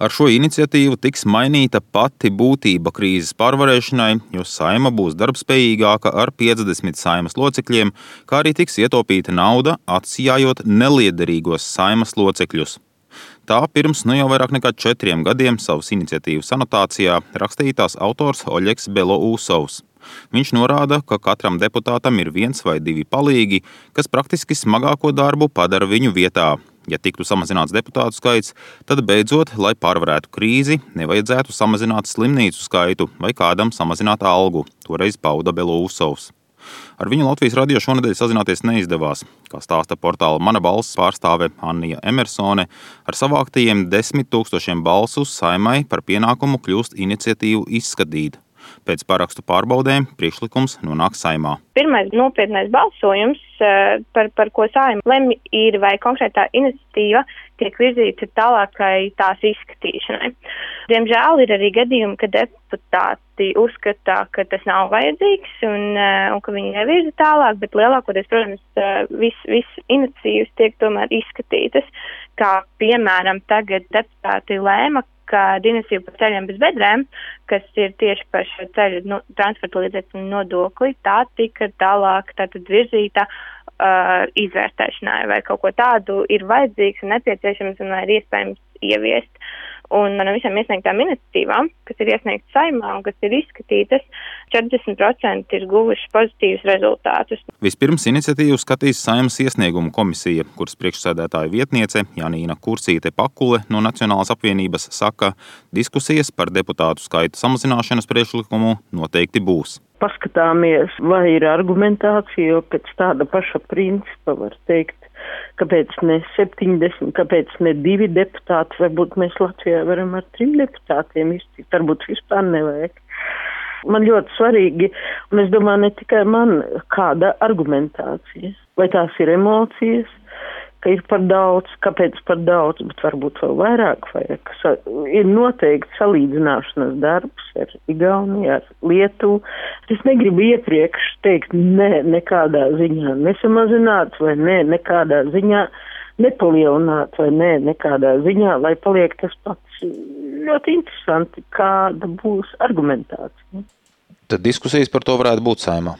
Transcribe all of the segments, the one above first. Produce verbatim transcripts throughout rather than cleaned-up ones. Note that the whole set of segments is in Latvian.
Ar šo iniciatīvu tiks mainīta pati būtība krīzes pārvarēšanai, jo Saeima būs darbspējīgāka ar piecdesmit Saeimas locekļiem, kā arī tiks ietaupīta nauda, atsijājot neliederīgos Saeimas locekļus. Tā pirms nu jau vairāk nekā četriem gadiem savas iniciatīvas anotācijā rakstīja tās autors Oļegs Belousovs. Viņš norāda, ka katram deputātam ir viens vai divi palīgi, kas praktiski smagāko darbu padara viņu vietā. Ja tiktu samazināts deputātu skaits, tad beidzot, lai pārvarētu krīzi, nevajadzētu samazināt slimnīcu skaitu vai kādam samazināt algu, toreiz pauda Belousovs. Ar viņu Latvijas radio šonedēļ sazināties neizdevās, kā stāsta portāla Mana balss pārstāve Annija Emersone, ar savāktajiem desmit tūkstošiem balsu Saeimai par pienākumu kļūst iniciatīvu izskatīt. Pēc parakstu pārbaudēm priekšlikums nonāk Saeimā. Pirmais nopietnais balsojums, par, par ko Saeima lemj, ir vai konkrētā iniciatīva tiek virzīta tālākai tās izskatīšanai. Diemžēl ir arī gadījumi, ka deputāti uzskata, ka tas nav vajadzīgs un, un ka viņi nevirza tālāk, bet lielākoties, protams, viss vis iniciatīvas tiek tomēr izskatītas, kā piemēram tagad deputāti lēma, ka iniciatīva par ceļiem bez bedrēm, kas ir tieši par šo ceļu no, transporta līdzekļu nodokli, tā tika tālāk tātad virzīta uh, izvērtēšanai, vai kaut ko tādu ir vajadzīgs un nepieciešams un vai ir iespējams ieviest. Un no visām iesniegtām iniciatīvām, kas ir iesniegtas Saeimā un kas ir izskatītas, četrdesmit procenti ir guvuši pozitīvus rezultātus. Vispirms iniciatīvu skatīs Saeimas iesniegumu komisija, kuras priekšsēdētāja vietniece Janīna Kursīte-Pakule no Nacionālās apvienības saka, diskusijas par deputātu skaitu samazināšanas priekšlikumu noteikti būs. Paskatāmies, vai ir argumentācija, jo pēc tāda paša principa var teikt, kāpēc ne septiņdesmit, kāpēc ne divi deputāti, varbūt mēs Latvijā varam ar trim deputātiem iztikt, varbūt vispār nevajag. Man ļoti svarīgi, un es domāju, ne tikai man, kāda argumentācija, vai tās ir emocijas, ka ir par daudz, kāpēc par daudz, bet varbūt vēl vairāk vajag. Ir noteikti salīdzināšanas darbs ar Igauniju, ar Lietuvu. Es negribu iepriekš teikt, ne, nekādā ziņā nesamazināt, vai ne, nekādā ziņā nepalielināt, vai ne, nekādā ziņā, lai paliek tas pats. Ļoti interesanti, kāda būs argumentācija. Tad diskusijas par to varētu būt Saeimā?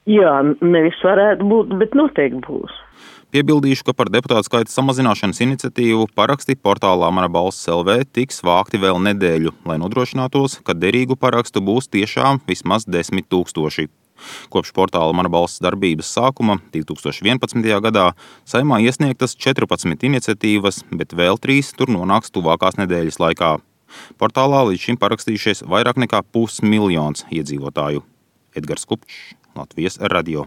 Jā, nevis varētu būt, bet noteikti būs. Piebildīšu, ka par deputātu skaita samazināšanas iniciatīvu paraksti portālā Mana balss L V tiks vākti vēl nedēļu, lai nodrošinātos, ka derīgu parakstu būs tiešām vismaz desmit tūkstoši. Kopš portāla Mana balss darbības sākuma divi tūkstoši vienpadsmitajā gadā Saeimā iesniegtas četrpadsmit iniciatīvas, bet vēl trīs tur nonāks tuvākās nedēļas laikā. Portālā līdz šim parakstījušies vairāk nekā pusmiljons iedzīvotāju. Edgars Kupčs, Latvijas radio.